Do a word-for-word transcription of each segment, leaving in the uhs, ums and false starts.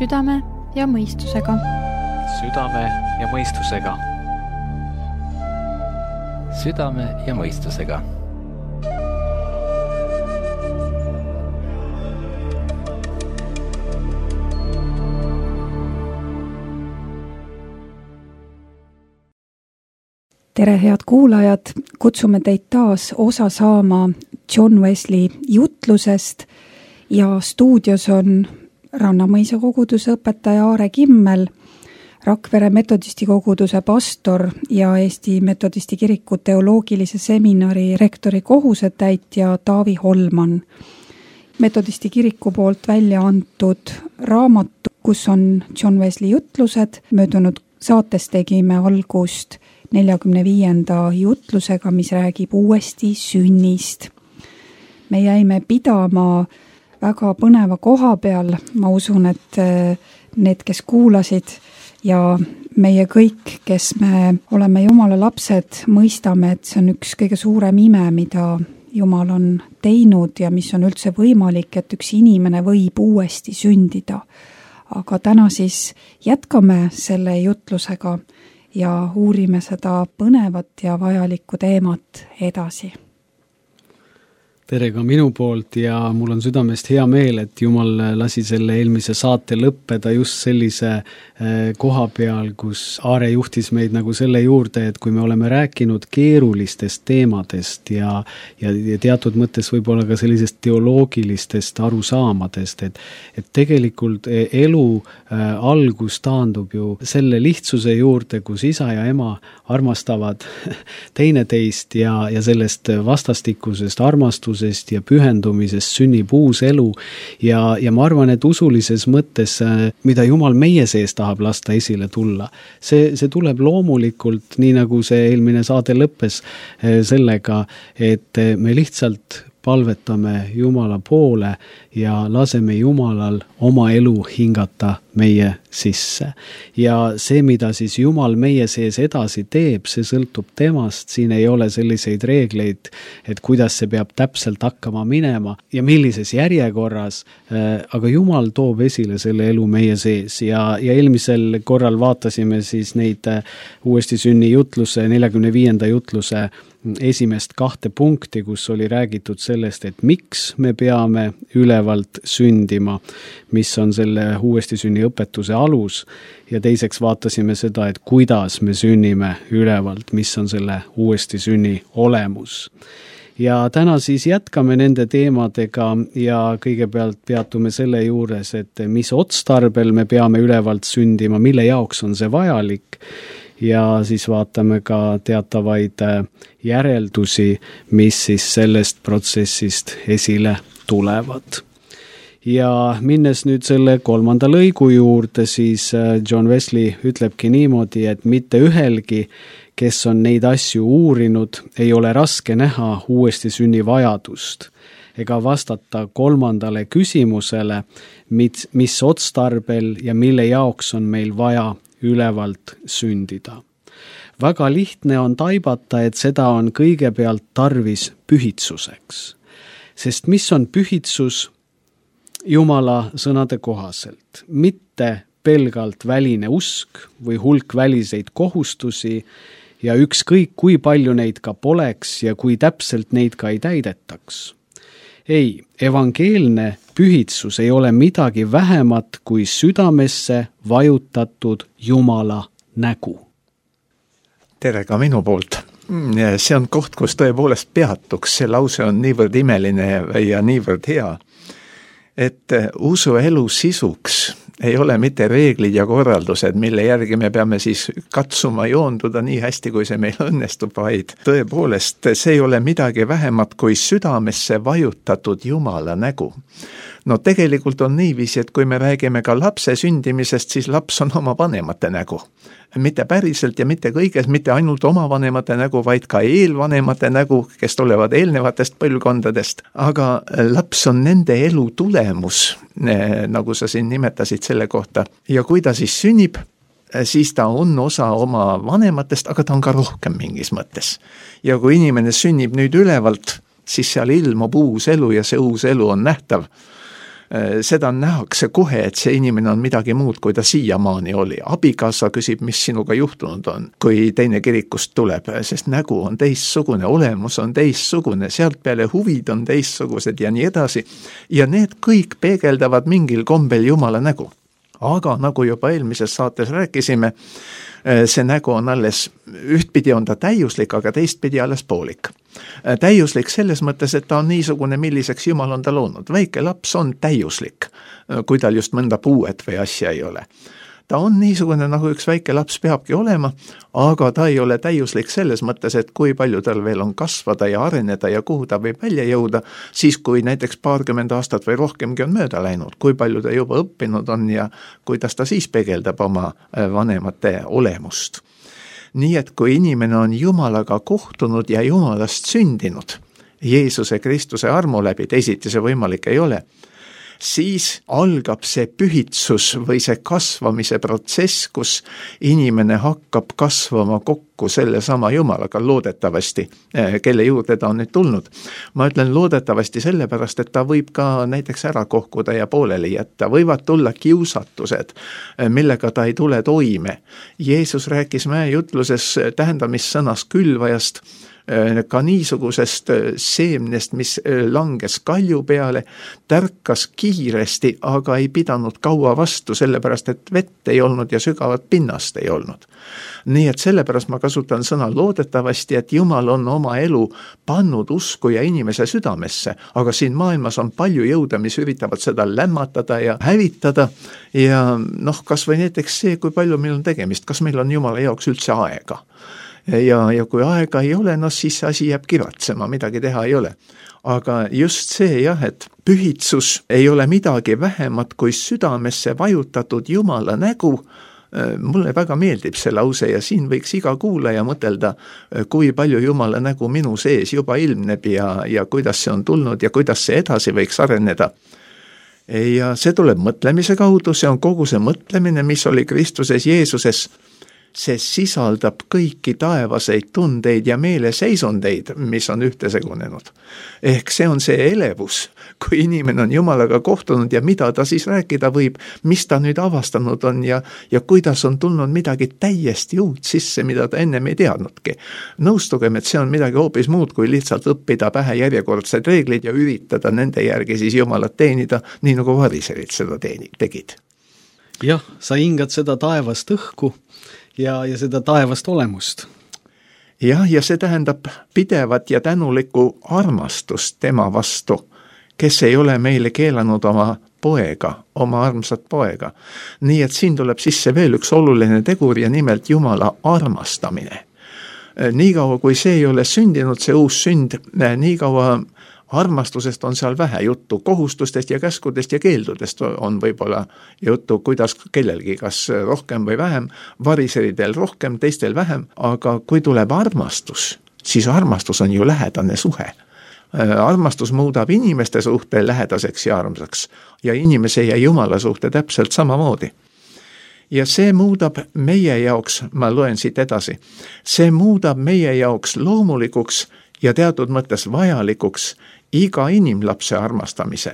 südame ja mõistusega. Südame ja mõistusega. Südame ja mõistusega. Tere, head kuulajad! Kutsume teid taas osa saama John Wesley jutlusest ja stuudios on Rannamõisa koguduse õpetaja Aare Kimmel, Rakvere metodisti koguduse pastor ja Eesti metodisti kiriku teoloogilise seminari rektori kohusetäitja Taavi Holman. Metodisti kiriku poolt välja antud raamatu, kus on John Wesley jutlused. Möödunud saates tegime algust neljakümne viienda jutlusega, mis räägib uuesti sünnist. Me jäime pidama väga põneva koha peal. Ma usun, et need, kes kuulasid ja meie kõik, kes me oleme Jumala lapsed, mõistame, et see on üks kõige suurem ime, mida Jumal on teinud ja mis on üldse võimalik, et üks inimene võib uuesti sündida. Aga täna siis jätkame selle jutlusega ja uurime seda põnevat ja vajalikku teemat edasi. Tere ka minu poolt ja mul on südamest hea meel, et Jumal lasi selle eelmise saate lõppeda just sellise koha peal, kus Aare juhtis meid nagu selle juurde, et kui me oleme rääkinud keerulistest teemadest ja, ja, ja teatud mõttes võib-olla ka sellisest teoloogilistest arusaamadest, et, et tegelikult elu algus taandub ju selle lihtsuse juurde, kus isa ja ema armastavad teineteist ja, ja sellest vastastikusest armastusest ja pühendumisest sünnib uus elu ja, ja ma arvan, et usulises mõttes, mida Jumal meie sees tahab lasta esile tulla, see, see tuleb loomulikult, nii nagu see eelmine saade lõppes sellega, et me lihtsalt palvetame Jumala poole ja laseme Jumalal oma elu hingata meie sisse. Ja see, mida siis Jumal meie sees edasi teeb, see sõltub temast, siin ei ole selliseid reegleid, et kuidas see peab täpselt hakkama minema ja millises järjekorras, aga Jumal toob esile selle elu meie sees ja, ja eelmisel korral vaatasime siis neid uuesti sünni jutluse, neljakümne viienda jutluse esimest kahte punkti, kus oli räägitud sellest, et miks me peame ülevalt sündima, mis on selle uuesti sünni õpetuse alus ja teiseks vaatasime seda, et kuidas me sünnime ülevalt, mis on selle uuesti sünni olemus. Ja täna siis jätkame nende teemadega ja kõigepealt peatume selle juures, et mis otstarbel me peame ülevalt sündima, mille jaoks on see vajalik ja siis vaatame ka teatavaid järeldusi, mis siis sellest protsessist esile tulevad. Ja minnes nüüd selle kolmanda lõigu juurde, siis John Wesley ütlebki niimoodi, et mitte ühelgi, kes on neid asju uurinud, ei ole raske näha uuesti sünni vajadust ega vastata kolmandale küsimusele, mis, mis otstarbel ja mille jaoks on meil vaja ülevalt sündida. Väga lihtne on taibata, et seda on kõigepealt tarvis pühitsuseks. Sest mis on pühitsus Jumala sõnade kohaselt? Mitte pelgalt väline usk või hulk väliseid kohustusi ja ükskõik kui palju neid ka poleks ja kui täpselt neid ka ei täidetaks. Ei, evangeelne pühitsus ei ole midagi vähemat kui südamesse vajutatud Jumala nägu. Tere ka minu poolt. See on koht, kus tõepoolest peatuks. See lause on niivõrd imeline ja niivõrd hea, et usu elu sisuks ei ole mitte reeglid ja korraldused, mille järgi me peame siis katsuma joonduda nii hästi, kui see meil õnnestub, vaid tõepoolest see ei ole midagi vähemat kui südamesse vajutatud Jumala nägu. No tegelikult on niiviisi, et kui me räägime ka lapse sündimisest, siis laps on oma vanemate nägu. Mitte päriselt ja mitte kõiges, mitte ainult oma vanemate nägu, vaid ka eelvanemate nägu, kes tulevad eelnevatest põlvkondadest. Aga laps on nende elu tulemus, nagu sa siin nimetasid selle kohta. Ja kui ta siis sünnib, siis ta on osa oma vanematest, aga ta on ka rohkem mingis mõttes. Ja kui inimene sünnib nüüd ülevalt, siis seal ilmub uus elu ja see uus elu on nähtav. Seda nähakse kohe, et see inimene on midagi muud, kui ta siiamaani oli. Abikaasa küsib, mis sinuga juhtunud on, kui teine kirikust tuleb, sest nägu on teistsugune, olemus on teistsugune, sealt peale huvid on teistsugused ja nii edasi. Ja need kõik peegeldavad mingil kombel Jumala nägu. Aga nagu juba eelmises saates rääkisime, see nägu on alles, ühtpidi on ta täiuslik, aga teistpidi alles poolik. Täiuslik selles mõttes, et ta on niisugune, milliseks Jumal on ta loonud. Väike laps on täiuslik, kui tal just mõnda puuet või asja ei ole. Ta on niisugune, nagu üks väike laps peabki olema, aga ta ei ole täiuslik selles mõttes, et kui palju tal veel on kasvada ja areneda ja kuhu ta võib välja jõuda, siis kui näiteks paarkümmend aastat või rohkemgi on mööda läinud, kui palju ta juba õppinud on ja kuidas ta siis peegeldab oma vanemate olemust. Nii et kui inimene on Jumalaga kohtunud ja Jumalast sündinud, Jeesuse Kristuse armu läbi, teisiti see võimalik ei ole, siis algab see pühitsus või see kasvamise protsess, kus inimene hakkab kasvama kokku selle sama Jumalaga loodetavasti, kelle juurde ta on nüüd tulnud. Ma ütlen loodetavasti sellepärast, et ta võib ka näiteks ära kohkuda ja pooleli jätta, võivad tulla kiusatused, millega ta ei tule toime. Jeesus rääkis mäejutluses tähendamissõnas külvajast, ka niisugusest seemnest, mis langes kalju peale, tärkas kiiresti, aga ei pidanud kaua vastu, sellepärast et vett ei olnud ja sügavat pinnast ei olnud. Nii et sellepärast ma kasutan sõna loodetavasti, et Jumal on oma elu pannud usku ja inimese südamesse, aga siin maailmas on palju jõude, mis üritavad seda lämmatada ja hävitada ja noh, kas või näiteks see, kui palju meil on tegemist, kas meil on Jumala jaoks üldse aega. Ja, ja kui aega ei ole, no siis asi jääb kiratsema, midagi teha ei ole. Aga just see jah, et pühitsus ei ole midagi vähemat kui südamesse vajutatud Jumala nägu. Mulle väga meeldib see lause ja siin võiks iga kuulaja mõtelda, kui palju Jumala nägu minu sees juba ilmneb ja, ja kuidas see on tulnud ja kuidas see edasi võiks areneda. Ja see tuleb mõtlemise kaudu, see on kogu see mõtlemine, mis oli Kristuses Jeesuses. See sisaldab kõiki taevaseid tundeid ja meeleseisundeid, mis on ühtesegunenud. Ehk see on see elevus, kui inimene on Jumalaga kohtunud ja mida ta siis rääkida võib, mis ta nüüd avastanud on ja, ja kuidas on tulnud midagi täiesti uut sisse, mida ta ennem ei teadnudki. Nõustugem, et see on midagi hoopis muud, kui lihtsalt õppida pähe järjekordsed reeglid ja üritada nende järgi siis Jumalat teenida, nii nagu variserid seda teeni, tegid. Jah, sa hingad seda taevast õhku, ja, ja seda taevast olemust. Jah, ja see tähendab pidevat ja tänulikku armastust tema vastu, kes ei ole meile keelanud oma poega, oma armsat poega. Nii et siin tuleb sisse veel üks oluline tegur ja nimelt Jumala armastamine. Niikaua kui see ei ole sündinud, see uus sünd, niikaua armastusest on seal vähe juttu, kohustustest ja käskudest ja keeldudest on võib-olla juttu, kuidas kellelgi, kas rohkem või vähem, variseridel rohkem, teistel vähem, aga kui tuleb armastus, siis armastus on ju lähedane suhe. Armastus muudab inimeste suhte lähedaseks ja armsaks ja inimese ja Jumala suhte täpselt samamoodi. Ja see muudab meie jaoks, ma loen siit edasi, see muudab meie jaoks loomulikuks ja teatud mõttes vajalikuks iga inimlapse armastamise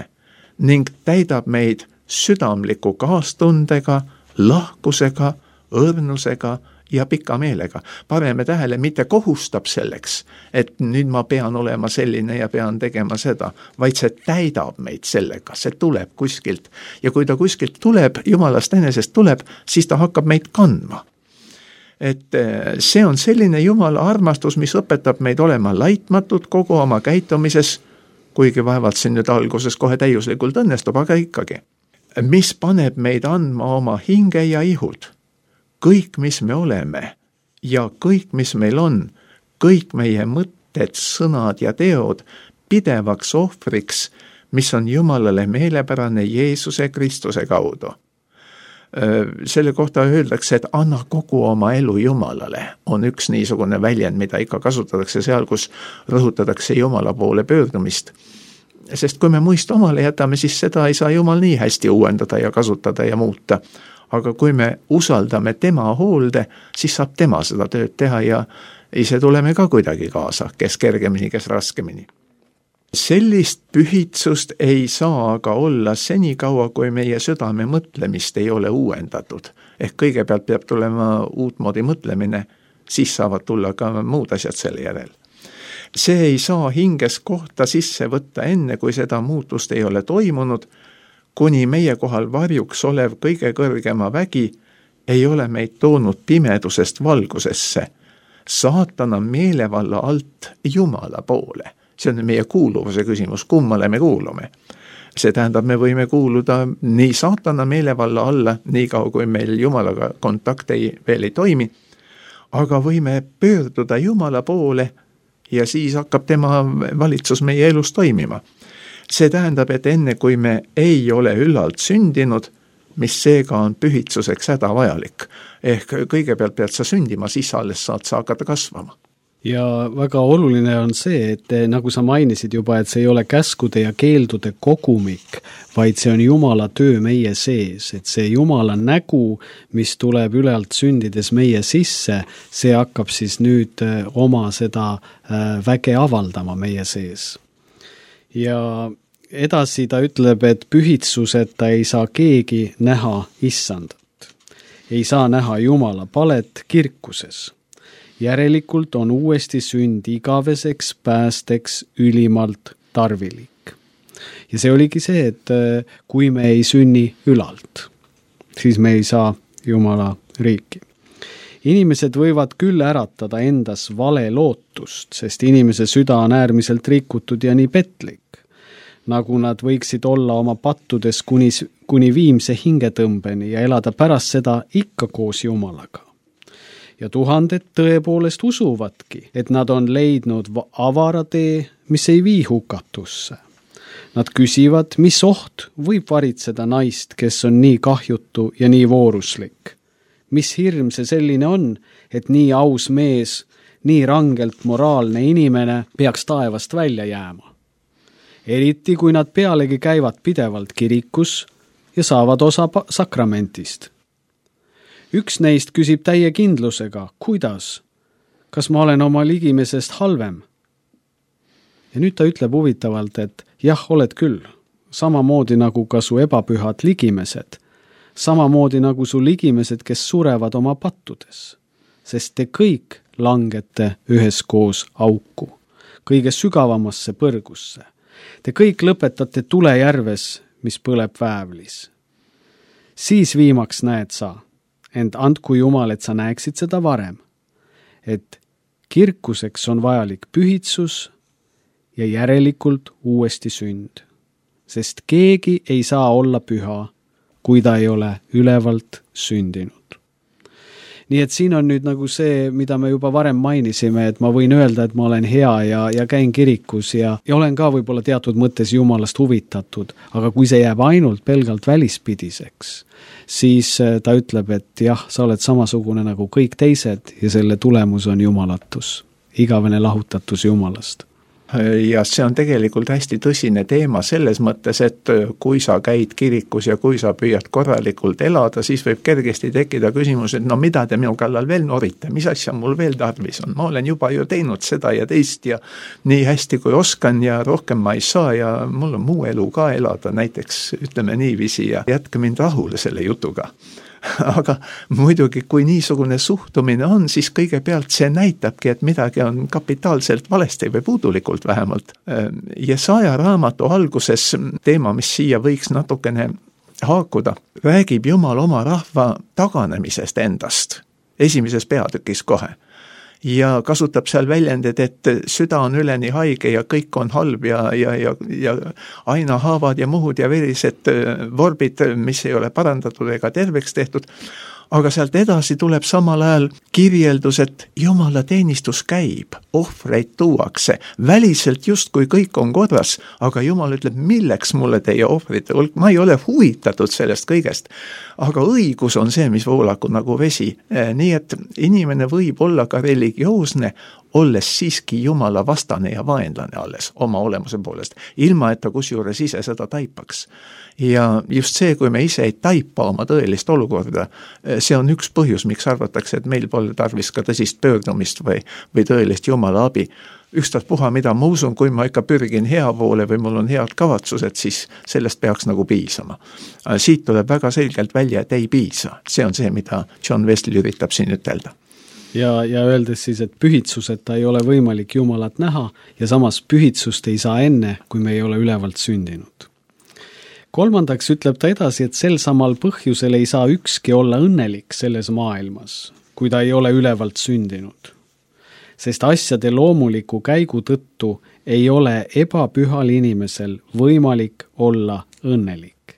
ning täidab meid südamliku kaastundega, lahkusega, õrnusega ja pika meelega. Paneme tähele, mitte kohustab selleks, et nüüd ma pean olema selline ja pean tegema seda, vaid see täidab meid sellega, see tuleb kuskilt. Ja kui ta kuskilt tuleb, Jumalast enesest tuleb, siis ta hakkab meid kandma. Et see on selline Jumala armastus, mis õpetab meid olema laitmatud kogu oma käitumises, kuigi vaevalt siin nüüd alguses kohe täiuslikult õnnestub, aga ikkagi. Mis paneb meid andma oma hinge ja ihud, kõik, mis me oleme ja kõik, mis meil on, kõik meie mõtted, sõnad ja teod pidevaks ohvriks, mis on Jumalale meelepärane Jeesuse Kristuse kaudu. Selle kohta öeldakse, et anna kogu oma elu Jumalale, on üks niisugune väljend, mida ikka kasutatakse seal, kus rõhutatakse Jumala poole pöördumist. Sest kui me muist omale jätame, siis seda ei saa Jumal nii hästi uuendada ja kasutada ja muuta. Aga kui me usaldame tema hoolde, siis saab tema seda tööd teha ja ise tuleme ka kuidagi kaasa, kes kergemini, kes raskemini. sellist pühitsust ei saa aga olla senikaua, kui meie südame mõtlemist ei ole uuendatud. Ehk kõigepealt peab tulema uutmoodi mõtlemine, siis saavad tulla ka muud asjad selle järel. See ei saa hinges kohta sisse võtta enne, kui seda muutust ei ole toimunud, kuni meie kohal varjuks olev kõige kõrgema vägi ei ole meid toonud pimedusest valgusesse, saatana meelevalla alt Jumala poole. See on meie kuuluvuse küsimus, kummale me kuulume. See tähendab, me võime kuuluda nii saatana meelevalla alla, nii kaua kui meil Jumalaga kontakt ei, veel ei toimi, aga võime pöörduda Jumala poole ja siis hakkab tema valitsus meie elus toimima. See tähendab, et enne kui me ei ole üllalt sündinud, mis seega on pühitsuseks hädavajalik. Ehk kõigepealt pead sa sündima, siis alles saad sa hakata kasvama. Ja väga oluline on see, et nagu sa mainisid juba, et see ei ole käskude ja keeldude kogumik, vaid see on Jumala töö meie sees, et see Jumala nägu, mis tuleb ülalt sündides meie sisse, see hakkab siis nüüd oma seda väge avaldama meie sees. Ja edasi ta ütleb, et pühitsuseta ei saa keegi näha issandat. Ei saa näha Jumala palet kirkuses. Järelikult on uuesti sünd igaveseks päästeks ülimalt tarvilik. Ja see oligi see, et kui me ei sünni ülalt, siis me ei saa Jumala riiki. Inimesed võivad küll äratada endas vale lootust, sest inimese süda on äärmiselt rikutud ja nii petlik, nagu nad võiksid olla oma pattudes kuni, kuni viimse hingetõmbeni ja elada pärast seda ikka koos Jumalaga. Ja tuhanded tõepoolest usuvadki, et nad on leidnud avara tee, mis ei vii hukatusse. Nad küsivad, mis oht võib varitseda naist, kes on nii kahjutu ja nii vooruslik. Mis hirm see selline on, et nii aus mees, nii rangelt moraalne inimene peaks taevast välja jääma. Eriti kui nad pealegi käivad pidevalt kirikus ja saavad osa sakramentist. Üks neist küsib täie kindlusega, kuidas? Kas ma olen oma ligimesest halvem? Ja nüüd ta ütleb huvitavalt, et jah, oled küll, samamoodi nagu ka su ebapühad ligimesed, samamoodi nagu su ligimesed, kes surevad oma pattudes, sest te kõik langete üheskoos auku, kõige sügavamasse põrgusse. Te kõik lõpetate tulejärves, mis põleb väävlis. Siis viimaks näed sa, ent andku Jumal, et sa näeksid seda varem, et kirkuseks on vajalik pühitsus ja järelikult uuesti sünd, sest keegi ei saa olla püha, kui ta ei ole ülevalt sündinud. Nii et siin on nüüd nagu see, mida me juba varem mainisime, et ma võin öelda, et ma olen hea ja, ja käin kirikus ja, ja olen ka võib-olla teatud mõttes Jumalast huvitatud, aga kui see jääb ainult pelgalt välispidiseks, siis ta ütleb, et jah, sa oled samasugune nagu kõik teised ja selle tulemus on jumalatus, igavene lahutatus Jumalast. Ja see on tegelikult hästi tõsine teema selles mõttes, et kui sa käid kirikus ja kui sa püüad korralikult elada, siis võib kergesti tekkida küsimus, et no mida te minu kallal veel norite, mis asja mul veel tarvis on, ma olen juba ju teinud seda ja teist ja nii hästi kui oskan ja rohkem ma ei saa ja mul on muu elu ka elada, näiteks ütleme niiviisi ja jätke mind rahule selle jutuga. Aga muidugi, kui niisugune suhtumine on, siis kõigepealt see näitabki, et midagi on kapitaalselt valesti või puudulikult vähemalt. Jesaja raamatu alguses teema, mis siia võiks natukene haakuda, räägib Jumal oma rahva taganemisest endast, esimeses peatükis kohe. Ja kasutab seal väljendid, et süda on üleni haige ja kõik on halb ja, ja, ja, ja aina haavad ja muhud ja verised vorbid, mis ei ole parandatud ega terveks tehtud. Aga sealt edasi tuleb samal ajal kirjeldus, et Jumala teenistus käib, ohvreid tuuakse, väliselt justkui kõik on korras, aga Jumal ütleb, milleks mulle teie ohvrite hulk, ma ei ole huvitatud sellest kõigest. Aga õigus on see, mis voolaku nagu vesi. Nii et inimene võib olla ka religioosne, olles siiski Jumala vastane ja vaenlane alles oma olemuse poolest, ilma et ta kusjuures ise seda taipaks. Ja just see, kui me ise ei taipa oma tõelist olukorda, see on üks põhjus, miks arvatakse, et meil pole tarvis ka tõsist pöördumist või, või tõelist Jumala abi. Ükstas puha, mida ma usun, kui ma ikka pürgin hea poole või mul on head kavatsused, siis sellest peaks nagu piisama. Siit tuleb väga selgelt välja, et ei piisa. See on see, mida John Wesley üritab siin ütelda. Ja, ja öeldes siis, et pühitsuseta ei ole võimalik Jumalat näha ja samas pühitsust ei saa enne, kui me ei ole ülevalt sündinud. Kolmandaks ütleb ta edasi, et sel samal põhjusel ei saa ükski olla õnnelik selles maailmas, kui ta ei ole ülevalt sündinud. Sest asjade loomuliku käigu tõttu ei ole ebapühal inimesel võimalik olla õnnelik.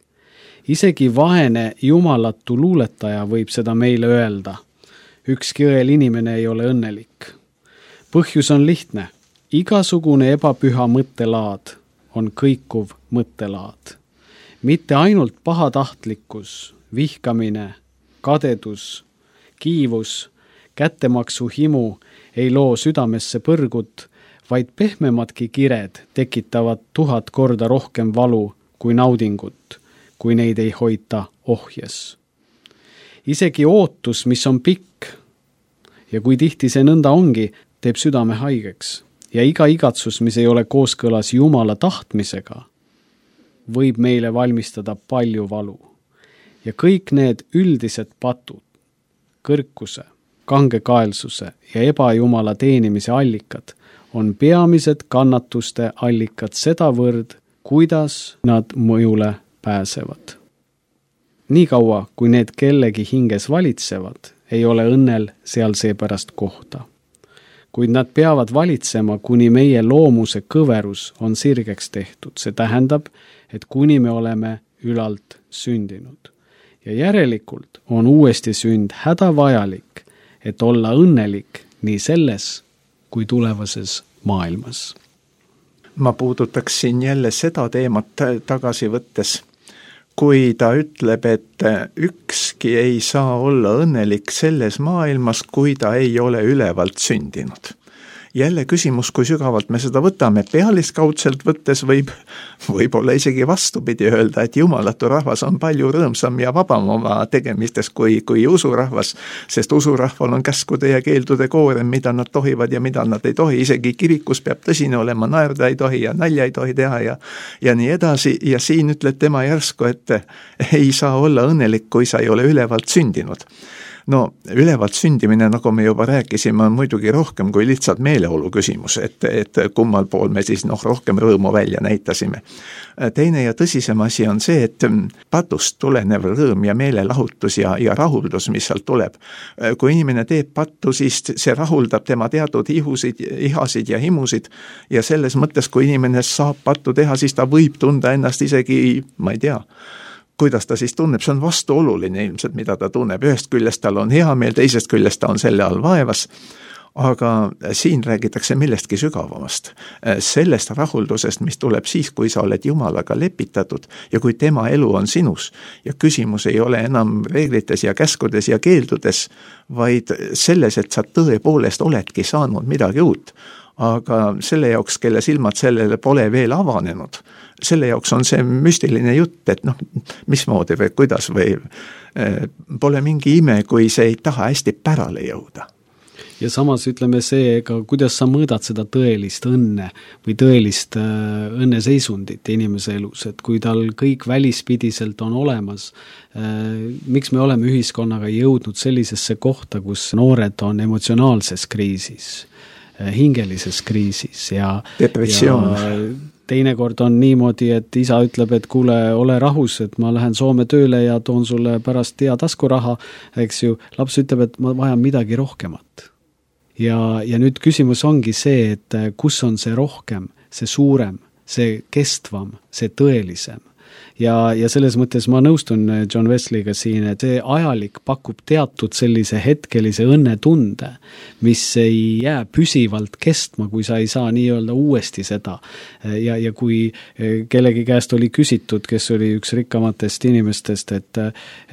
Isegi vaene jumalatu luuletaja võib seda meile öelda. Ükski õel inimene ei ole õnnelik. Põhjus on lihtne. Igasugune ebapüha mõttelaad on kõikuv mõttelaad. Mitte ainult pahatahtlikkus, vihkamine, kadedus, kiivus, kättemaksu himu ei loo südamesse põrgut, vaid pehmemadki kired tekitavad tuhat korda rohkem valu kui naudingut, kui neid ei hoita ohjes. Isegi ootus, mis on pikk, ja kui tihti see nõnda ongi, teeb südame haigeks, ja iga igatsus, mis ei ole kooskõlas Jumala tahtmisega, võib meile valmistada palju valu. Ja kõik need üldised patud, kõrkuse, kangekaelsuse ja ebajumala teenimise allikad on peamised kannatuste allikad sedavõrd, kuidas nad mõjule pääsevad. Nii kaua, kui need kellegi hinges valitsevad, ei ole õnnel seal seepärast kohta. Kuid nad peavad valitsema, kuni meie loomuse kõverus on sirgeks tehtud. See tähendab, et kuni me oleme ülalt sündinud. Ja järelikult on uuesti sünd hädavajalik, et olla õnnelik nii selles kui tulevases maailmas. Ma puudutaksin jälle seda teemat tagasi võttes, kui ta ütleb, et ükski ei saa olla õnnelik selles maailmas, kui ta ei ole ülevalt sündinud. Jälle küsimus, kui sügavalt me seda võtame, pealiskaudselt võttes võib, võib olla isegi vastupidi öelda, et jumalatu rahvas on palju rõõmsam ja vabam oma tegemistes kui, kui usurahvas, sest usurahval on käskude ja keeldude koorem, mida nad tohivad ja mida nad ei tohi, isegi kirikus peab tõsine olema, naerda ei tohi ja nalja ei tohi teha ja, ja nii edasi, ja siin ütleb tema järsku, et ei saa olla õnnelik, kui sa ei ole ülevalt sündinud. No, ülevalt sündimine, nagu me juba rääkisime, on muidugi rohkem kui lihtsalt meeleolu küsimus, et, et kummal pool me siis noh, rohkem rõõmu välja näitasime. Teine ja tõsisem asi on see, et patust tulenev rõõm ja meelelahutus ja, ja rahuldus, mis sealt tuleb. Kui inimene teeb pattu, siis see rahuldab tema teatud ihusid, ihasid ja himusid ja selles mõttes, kui inimene saab pattu teha, siis ta võib tunda ennast isegi, ma ei tea, kuidas ta siis tunneb, see on vastuoluline ilmselt, mida ta tunneb. Ühest küljest tal on hea meel, teisest küljest ta on selle all vaevas, aga siin räägitakse millestki sügavamast. Sellest rahuldusest, mis tuleb siis, kui sa oled Jumalaga lepitatud ja kui tema elu on sinus ja küsimus ei ole enam reeglites ja käskudes ja keeldudes, vaid selles, et sa tõepoolest oledki saanud midagi uut. Aga selle jaoks, kelle silmad sellele pole veel avanenud, selle jaoks on see müstiline jutt, et noh, mismoodi või kuidas või eh, pole mingi ime, kui see ei taha hästi pärale jõuda. Ja samas ütleme see, ega kuidas sa mõõdad seda tõelist õnne või tõelist äh, õnneseisundit inimese elus, et kui tal kõik välispidiselt on olemas, äh, miks me oleme ühiskonnaga jõudnud sellisesse kohta, kus noored on emotsionaalses kriisis, hingelises kriisis ja, depressioon. Ja teinekord on niimoodi, et isa ütleb, et kuule, ole rahus, et ma lähen Soome tööle ja toon sulle pärast hea taskuraha, eks ju, laps ütleb, et ma vajan midagi rohkemat. Ja, ja nüüd küsimus ongi see, et kus on see rohkem, see suurem, see kestvam, see tõelisem. ja, ja selles mõttes ma nõustun John Wesleyga siin, et see ajalik pakub teatud sellise hetkelise õnnetunde, mis ei jää püsivalt kestma, kui sa ei saa nii-öelda uuesti seda. Ja, ja kui kellegi käest oli küsitud, kes oli üks rikkamatest inimestest, et,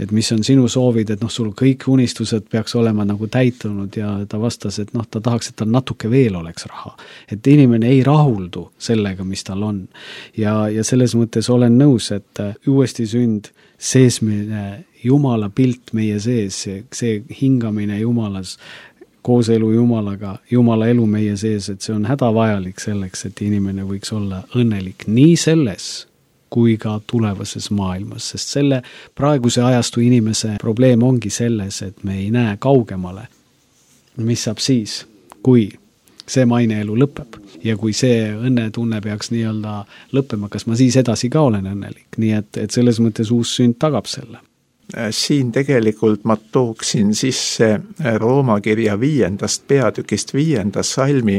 et mis on sinu soovid, et noh, sul kõik unistused peaks olema nagu täitunud ja ta vastas, et noh, ta tahaks, et tal natuke veel oleks raha. Et inimene ei rahuldu sellega, mis tal on. Ja, ja selles mõttes olen nõus, et uuesti sünd, seesmine Jumala pilt meie sees, see hingamine Jumalas, koos elu Jumalaga, Jumala elu meie sees, et see on hädavajalik selleks, et inimene võiks olla õnnelik nii selles, kui ka tulevases maailmas, sest selle praeguse ajastu inimese probleem ongi selles, et me ei näe kaugemale, mis saab siis, kui see maineelu lõpeb ja kui see õnnetunne peaks nii-öelda lõppema, kas ma siis edasi ka olen õnnelik, nii et, et selles mõttes uus sünd tagab selle. Siin tegelikult ma tooksin sisse Rooma kirja viiendast peatükist viienda salmi,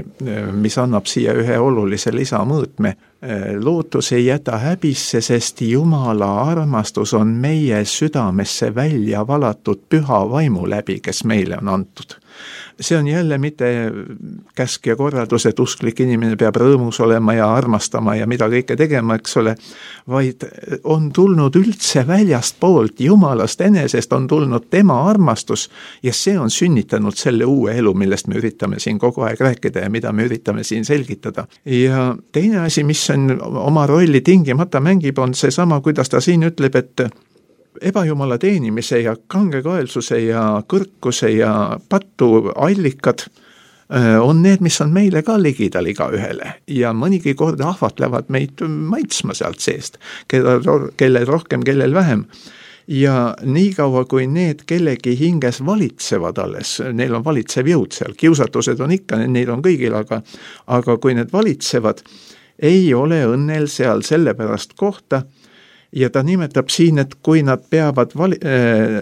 mis annab siia ühe olulise lisamõõtme. Lootus ei jäta häbisse, sest Jumala armastus on meie südamesse välja valatud püha vaimu läbi, kes meile on antud. See on jälle mitte käsk ja korraldus, et usklik inimene peab rõõmus olema ja armastama ja mida kõike tegema, eks ole, vaid on tulnud üldse väljast poolt, Jumalast enesest on tulnud tema armastus ja see on sünnitanud selle uue elu, millest me üritame siin kogu aeg rääkida ja mida me üritame siin selgitada. Ja teine asi, mis on oma rolli tingimata mängib, on see sama, kuidas ta siin ütleb, et ebajumala teenimise ja kangekaelsuse ja kõrkuse ja pattu allikad on need, mis on meile ka ligidal iga ühele ja mõnigi kord ahvatlevad meid maitsma sealt seest, kellel, kellel rohkem, kellel vähem. Ja nii kaua, kui need kellegi hinges valitsevad alles, neil on valitsev jõud seal, kiusatused on ikka, neil on kõigil, aga, aga kui need valitsevad, ei ole õnnel seal sellepärast kohta. Ja ta nimetab siin, et kui nad peavad vali, äh,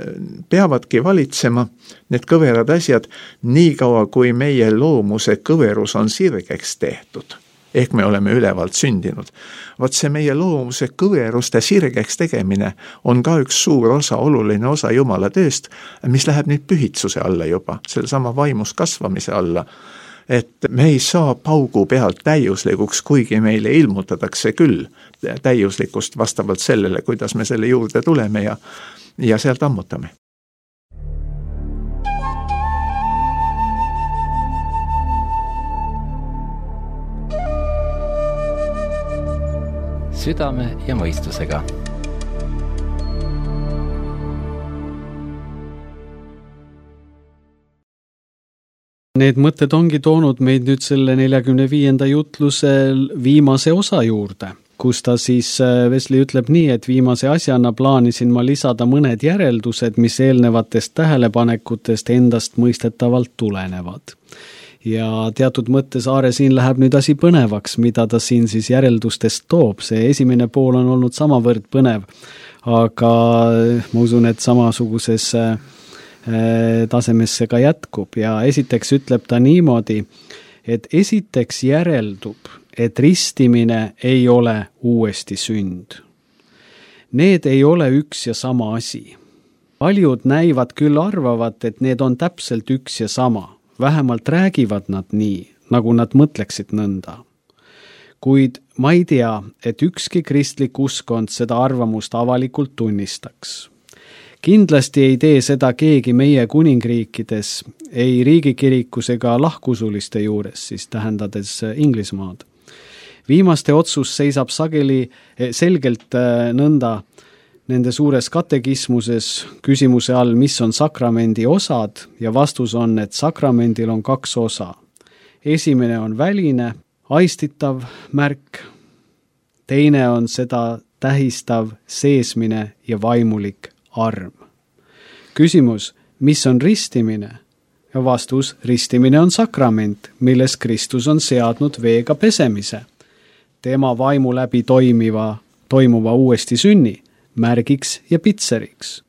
peavadki valitsema, need kõverad asjad, nii kaua kui meie loomuse kõverus on sirgeks tehtud, ehk me oleme ülevalt sündinud. Vaat see meie loomuse kõveruste sirgeks tegemine on ka üks suur osa, oluline osa Jumala tööst, mis läheb nüüd pühitsuse alla juba, selle sama vaimus kasvamise alla. Et me ei saa paugu pealt täiuslikuks, kuigi meile ilmutatakse küll täiuslikust vastavalt sellele, kuidas me selle juurde tuleme ja, ja sealt ammutame. Südame ja mõistusega. Need mõtted ongi toonud meid nüüd selle neljakümne viienda jutluse viimase osa juurde, kus ta siis Wesley ütleb nii, et viimase asjana plaanisin ma lisada mõned järeldused, mis eelnevatest tähelepanekutest endast mõistetavalt tulenevad. Ja teatud mõttes Aare siin läheb nüüd asi põnevaks, mida ta siin siis järeldustest toob. See esimene pool on olnud samavõrd põnev, aga ma usun, et samasuguses tasemesse ka jätkub ja esiteks ütleb ta niimoodi, et esiteks järeldub, et ristimine ei ole uuesti sünd. Need ei ole üks ja sama asi. Paljud näivad küll arvavat, et need on täpselt üks ja sama, vähemalt räägivad nad nii, nagu nad mõtleksid nõnda. Kuid ma ei tea, et ükski kristlik uskond seda arvamust avalikult tunnistaks. Kindlasti ei tee seda keegi meie kuningriikides, ei riigikirikus ega lahkusuliste juures, siis tähendades Inglismaad. Viimaste otsus seisab sageli selgelt nõnda nende suures katekismuses küsimuse all, mis on sakramendi osad ja vastus on, et sakramendil on kaks osa. Esimene on väline, aistitav märk, teine on seda tähistav seesmine ja vaimulik arm. Küsimus, mis on ristimine? Ja vastus, ristimine on sakrament, milles Kristus on seadnud veega pesemise. Tema vaimu läbi toimiva, toimuva uuesti sünni, märgiks ja pitseriks.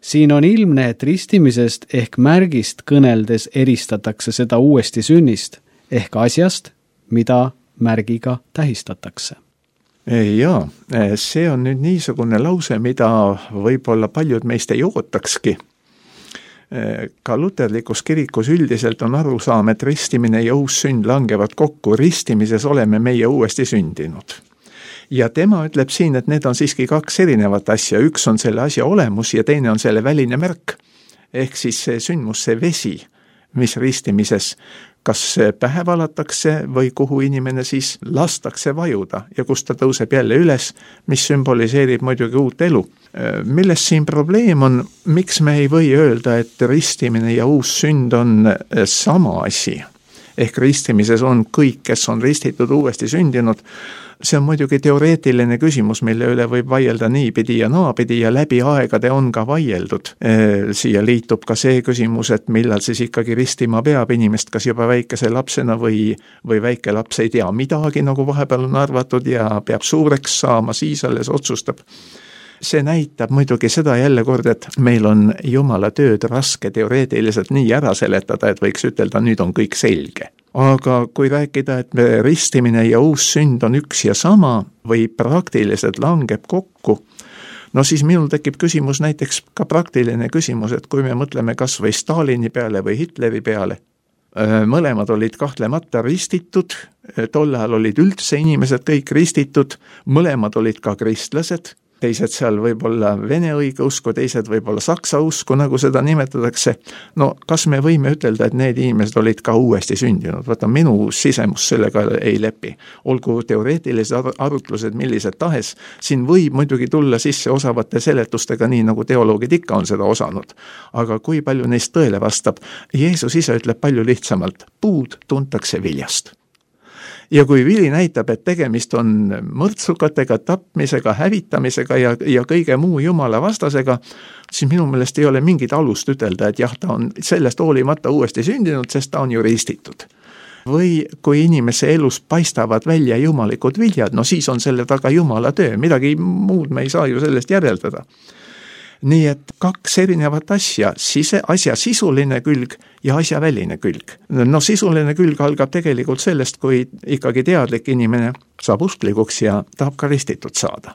Siin on ilmne, et ristimisest ehk märgist kõneldes eristatakse seda uuesti sünnist ehk asjast, mida märgiga tähistatakse. Jaa, see on nüüd niisugune lause, mida võib-olla paljud meist ei ootakski. Ka luterlikus kirikus üldiselt on arusaam, et ristimine ja uus sünd langevad kokku, ristimises oleme meie uuesti sündinud. Ja tema ütleb siin, et need on siiski kaks erinevat asja, üks on selle asja olemus ja teine on selle väline märk. Ehk siis see sündmus, see vesi, mis ristimises kas pähe valatakse või kuhu inimene siis lastakse vajuda ja kus ta tõuseb jälle üles, mis sümboliseerib muidugi uut elu. Milles siin probleem on, miks me ei või öelda, et ristimine ja uus sünd on sama asi? Ehk ristimises on kõik, kes on ristitud, uuesti sündinud. See on muidugi teoreetiline küsimus, mille üle võib vaielda niipidi ja naapidi ja läbi aegade on ka vaieldud. Siia liitub ka see küsimus, et millal siis ikkagi ristima peab inimest, kas juba väikese lapsena või, või väike laps ei tea midagi, nagu vahepeal on arvatud ja peab suureks saama, siis alles otsustab. See näitab muidugi seda jälle kord, et meil on Jumala tööd raske teoreetiliselt nii ära seletada, et võiks ütelda, nüüd on kõik selge. Aga kui rääkida, et ristimine ja uus sünd on üks ja sama või praktiliselt langeb kokku, no siis minul tekib küsimus, näiteks ka praktiline küsimus, et kui me mõtleme kas või Stalini peale või Hitleri peale, mõlemad olid kahtlemata ristitud, tol ajal olid üldse inimesed kõik ristitud, mõlemad olid ka kristlased, teised seal võib-olla vene õigeusku, teised võib-olla saksa usku, nagu seda nimetatakse. No kas me võime ütelda, et need inimesed olid ka uuesti sündinud? Vaata, minu sisemus sellega ei lepi. Olgu teoreetilised arutlused millised tahes, siin võib muidugi tulla sisse osavate seletustega, nii nagu teoloogid ikka on seda osanud. Aga kui palju neist tõele vastab? Jeesus ise ütleb palju lihtsamalt, puud tuntakse viljast. Ja kui vili näitab, et tegemist on mõrtsukatega, tapmisega, hävitamisega ja, ja kõige muu Jumala vastasega, siis minu meelest ei ole mingit alust ütelda, et jah, ta on sellest hoolimata uuesti sündinud, sest ta on ju ristitud. Või kui inimese elus paistavad välja jumalikud viljad, no siis on selle taga Jumala töö, midagi muud me ei saa ju sellest järeldada. Nii et kaks erinevat asja, sise, asja sisuline külg ja asja väline külg. No sisuline külg algab tegelikult sellest, kui ikkagi teadlik inimene saab usklikuks ja tahab ka ristitud saada.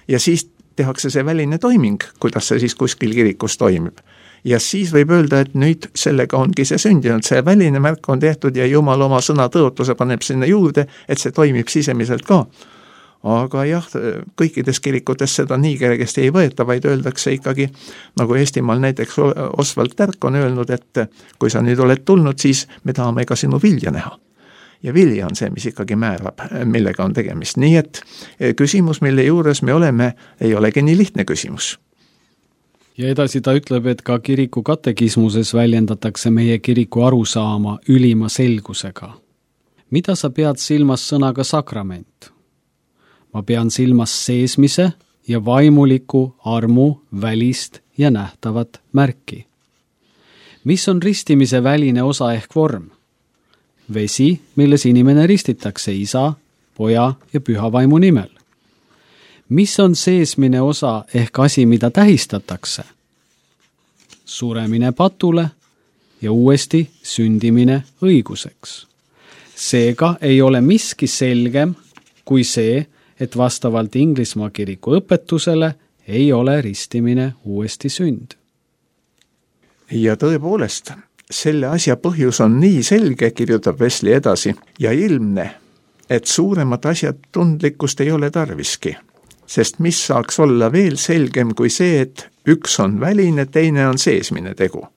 Ja siis tehakse see väline toiming, kuidas see siis kuskil kirikus toimib. Ja siis võib öelda, et nüüd sellega ongi see sündinud, see väline märk on tehtud ja Jumal oma sõna tõotuse paneb sinna juurde, et see toimib sisemiselt ka. Aga jah, kõikides kirikutes seda nii kergesti ei võeta, vaid öeldakse ikkagi, nagu Eestimaal näiteks Osvald Tärk on öelnud, et kui sa nüüd oled tulnud, siis me tahame ka sinu vilja näha. Ja vilja on see, mis ikkagi määrab, millega on tegemist. Nii et küsimus, mille juures me oleme, ei olegi nii lihtne küsimus. Ja edasi ta ütleb, et ka kiriku katekismuses väljendatakse meie kiriku arusaama ülima selgusega. Mida sa pead silmas sõnaga sakrament? Ma pean silmas seesmise ja vaimuliku armu välist ja nähtavat märki. Mis on ristimise väline osa ehk vorm? Vesi, milles inimene ristitakse isa, poja ja püha vaimu nimel. Mis on seesmine osa ehk asi, mida tähistatakse? Suremine patule ja uuesti sündimine õiguseks. Seega ei ole miski selgem kui see, et vastavalt Inglismaa kiriku õpetusele ei ole ristimine uuesti sünd. Ja tõepoolest, selle asja põhjus on nii selge, kirjutab Wesley edasi, ja ilmne, et suuremat asjatundlikkust ei ole tarviski. Sest mis saaks olla veel selgem kui see, et üks on väline, teine on seesmine tegu.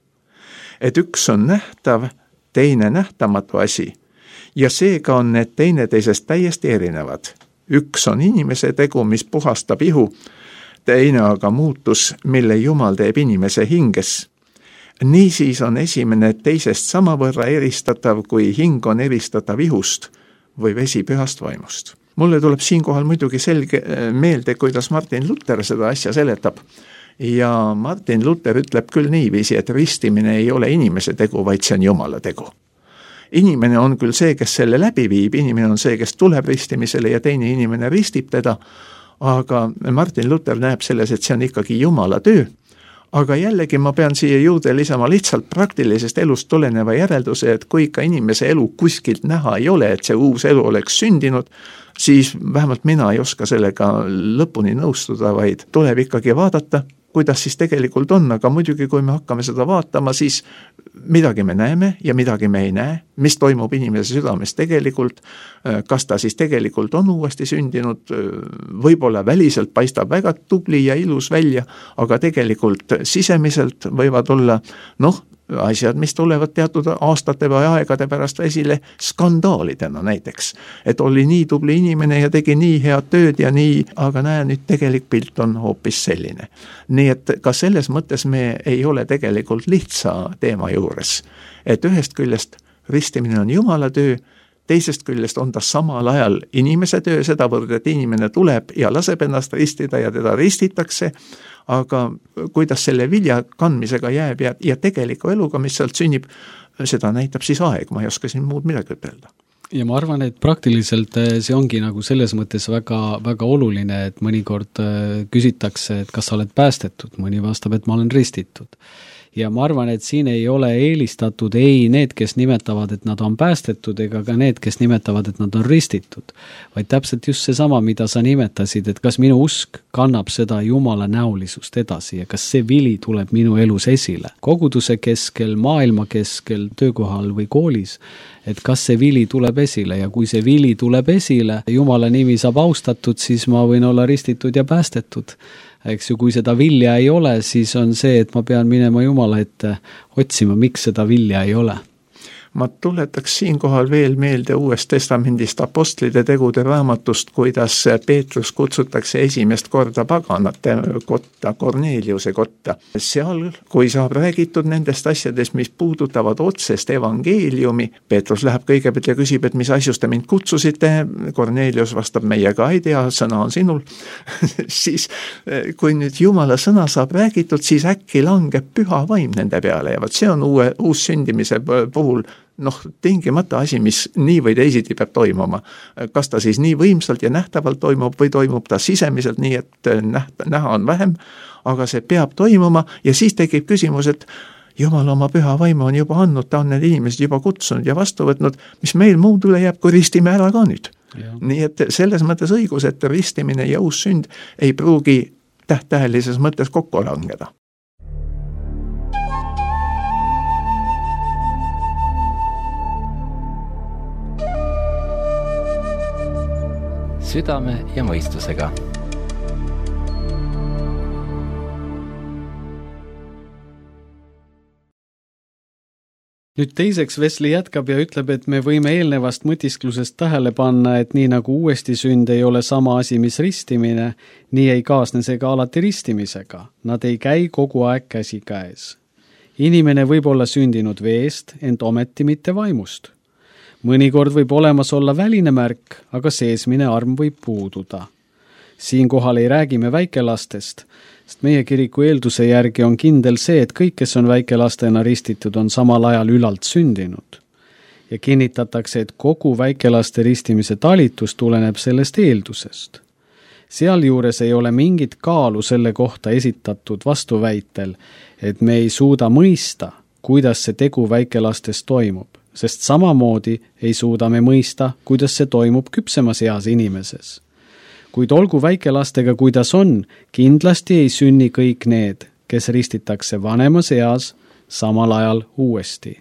Et üks on nähtav, teine nähtamatu asi, ja seega on need teineteisest täiesti erinevad. Üks on inimese tegu, mis puhastab ihu, teine aga muutus, mille Jumal teeb inimese hinges. Niisiis on esimene teisest samavõrra eristatav, kui hing on eristatav ihust või vesi pühast vaimust. Mulle tuleb siinkohal muidugi selge meelde, kuidas Martin Luther seda asja seletab. Ja Martin Luther ütleb küll niiviisi, et ristimine ei ole inimese tegu, vaid see on Jumala tegu. Inimene on küll see, kes selle läbi viib, inimene on see, kes tuleb ristimisele ja teine inimene ristib teda, aga Martin Luther näeb selles, et see on ikkagi Jumala töö, aga jällegi ma pean siia juurde lisama lihtsalt praktilisest elust tuleneva järelduse, et kui ikka inimese elu kuskilt näha ei ole, et see uus elu oleks sündinud, siis vähemalt mina ei oska sellega lõpuni nõustuda, vaid tuleb ikkagi vaadata, kuidas siis tegelikult on, aga muidugi kui me hakkame seda vaatama, siis midagi me näeme ja midagi me ei näe, mis toimub inimese südames tegelikult, kas ta siis tegelikult on uuesti sündinud, võib-olla väliselt paistab väga tubli ja ilus välja, aga tegelikult sisemiselt võivad olla, noh, asjad, mis tulevad teatud aastate või aegade pärast esile skandaalidena näiteks. Et oli nii tubli inimene ja tegi nii head tööd ja nii, aga näe, nüüd tegelik pilt on hoopis selline. Nii et ka selles mõttes me ei ole tegelikult lihtsa teema juures. Et ühest küljest ristimine on Jumala töö, teisest küljest on ta samal ajal inimese töö, sedavõrd, et inimene tuleb ja laseb ennast ristida ja teda ristitakse, aga kuidas selle vilja kandmisega jääb ja, ja tegeliku eluga, mis sealt sünnib, seda näitab siis aeg, ma ei oska siin muud midagi ütelda. Ja ma arvan, et praktiliselt see ongi nagu selles mõttes väga, väga oluline, et mõnikord küsitakse, et kas sa oled päästetud, mõni vastab, et ma olen ristitud. Ja ma arvan, et siin ei ole eelistatud ei need, kes nimetavad, et nad on päästetud, ega ka need, kes nimetavad, et nad on ristitud. Vaid täpselt just seesama, mida sa nimetasid, et kas minu usk kannab seda Jumala näolisust edasi ja kas see vili tuleb minu elus esile. Koguduse keskel, maailma keskel, töökohal või koolis, et kas see vili tuleb esile ja kui see vili tuleb esile, Jumala nimi saab austatud, siis ma võin olla ristitud ja päästetud. Eks ju, kui seda vilja ei ole, siis on see, et ma pean minema Jumala ette otsima, miks seda vilja ei ole. Ma tuletaks siinkohal veel meelde Uuest testamendist apostlite tegude raamatust, kuidas Peetrus kutsutakse esimest korda paganate kotta, Korneliuse kotta. Seal, kui saab räägitud nendest asjadest, mis puudutavad otsest evangeeliumi, Peetrus läheb kõigepealt ja küsib, et mis asjus te mind kutsusite, Kornelius vastab, meiega ei tea, sõna on sinul. Siis, kui nüüd Jumala sõna saab räägitud, siis äkki langeb püha vaim nende peale ja vaat see on uue, uus sündimise puhul noh, tingimata asi, mis nii või teisiti peab toimuma. Kas ta siis nii võimsalt ja nähtavalt toimub või toimub ta sisemiselt nii, et näht, näha on vähem, aga see peab toimuma ja siis tekib küsimus, et Jumal oma püha vaimu on juba andnud, ta on need inimesed juba kutsunud ja vastu võtnud, mis meil muud üle jääb, kui ristime ära ka nüüd. Ja. Nii et selles mõttes õigus, et ristimine ja uus sünd ei pruugi tähtähelises mõttes kokku langeda. Südame ja mõistusega. Nüüd teiseks Wesley jätkab ja ütleb, et me võime eelnevast mõtisklusest tähele panna, et nii nagu uuesti sünd ei ole sama asi, mis ristimine, nii ei kaasne see ka alati ristimisega. Nad ei käi kogu aeg käsi käes. Inimene võib olla sündinud veest, ent ometi mitte vaimust. Mõnikord võib olemas olla väline märk, aga seesmine arm võib puududa. Siinkohal ei räägime väikelastest, sest meie kiriku eelduse järgi on kindel see, et kõik, kes on väikelastena ristitud, on samal ajal ülalt sündinud. Ja kinnitatakse, et kogu väikelaste ristimise talitus tuleneb sellest eeldusest. Sealjuures ei ole mingit kaalu selle kohta esitatud vastuväitel, et me ei suuda mõista, kuidas see tegu väikelastes toimub. Sest samamoodi ei suuda me mõista, kuidas see toimub küpsemas eas inimeses. Kuid olgu väikelastega, kuidas on, kindlasti ei sünni kõik need, kes ristitakse vanemas eas, samal ajal uuesti.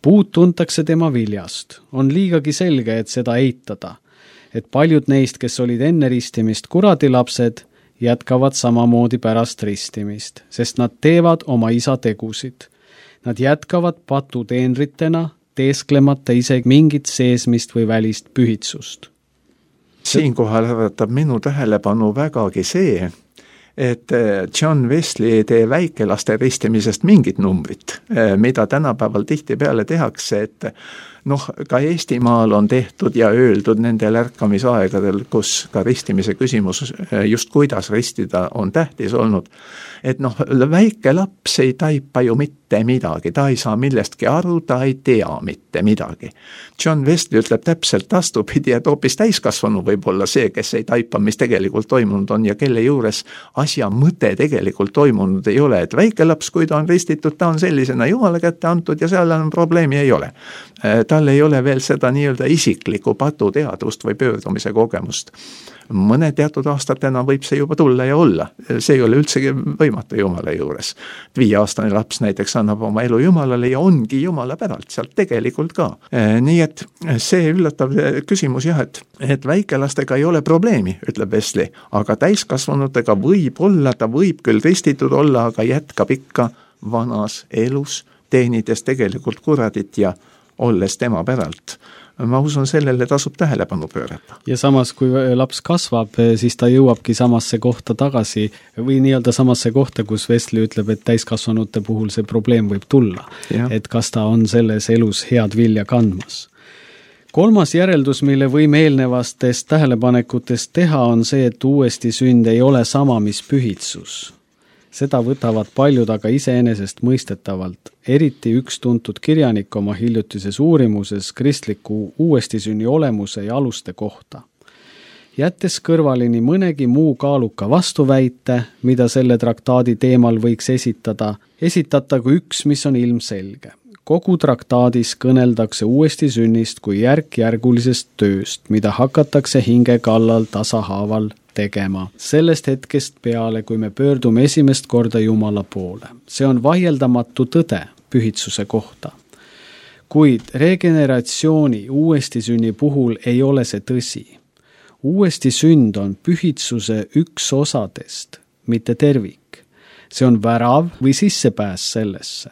Puud tuntakse tema viljast. On liigagi selge, et seda eitada, et paljud neist, kes olid enne ristimist kuradilapsed, jätkavad samamoodi pärast ristimist, sest nad teevad oma isa tegusid. Nad jätkavad patuteenritena, teesklemata isegi mingit seesmist või välist pühitsust. Siinkohal äratab minu tähelepanu vägagi see, et John Wesley ei tee väikelaste ristimisest mingit numbrit, mida tänapäeval tihtipeale tehakse, et noh, ka Eestimaal on tehtud ja öeldud nendel ärkamisaegadel, kus ka ristimise küsimus, just kuidas ristida, on tähtis olnud. Et noh, väike laps ei taipa ju mitte midagi, ta ei saa millestki aru, ta ei tea mitte midagi. John Wesley ütleb täpselt vastupidi, et hoopis täiskasvanu võib olla see, kes ei taipa, mis tegelikult toimunud on ja kelle juures asja mõte tegelikult toimunud ei ole, et väike laps, kui ta on ristitud, ta on sellisena Jumala kätte antud ja seal on probleemi ei ole. Tal ei ole veel seda nii-öelda isiklikku patuteadvust või pöördumise kogemust. Mõne teatud aastatena võib see juba tulla ja olla. See ei ole üldsegi võimatu Jumala juures. Viieaastane laps näiteks annab oma elu Jumalale ja ongi Jumala päralt sealt tegelikult ka. Nii et see üllatav küsimus jah, et, et väikelastega ei ole probleemi, ütleb Wesley, aga täiskasvanutega võib olla, ta võib küll ristitud olla, aga jätkab ikka vanas elus, teenides tegelikult kuradit ja olles tema päralt. Ma usun, sellele tasub tähelepanu pöörata. Ja samas, kui laps kasvab, siis ta jõuabki samasse kohta tagasi või nii-öelda samasse kohta, kus Wesley ütleb, et täiskasvanute puhul see probleem võib tulla. Ja. Et kas ta on selles elus head vilja kandmas. Kolmas järeldus, mille võime eelnevastest tähelepanekutest teha, on see, et uuesti sünd ei ole sama, mis pühitsus. Seda võtavad paljud aga iseenesest mõistetavalt, eriti üks tuntud kirjanik oma hiljutises uurimuses kristliku uuestisünni olemuse ja aluste kohta. Jättes kõrvalini mõnegi muu kaaluka vastuväite, mida selle traktaadi teemal võiks esitada, esitatagu üks, mis on ilmselge. Kogu traktaadis kõneldakse uuestisünnist kui järk-järgulisest tööst, mida hakatakse hinge kallal tasahaaval tegema. Sellest hetkest peale, kui me pöördume esimest korda Jumala poole. See on vaieldamatu tõde pühitsuse kohta. Kuid regeneratsiooni uuestisünni puhul ei ole see tõsi. Uuestisünd on pühitsuse üks osadest, mitte tervik. See on värav või sissepääs sellesse.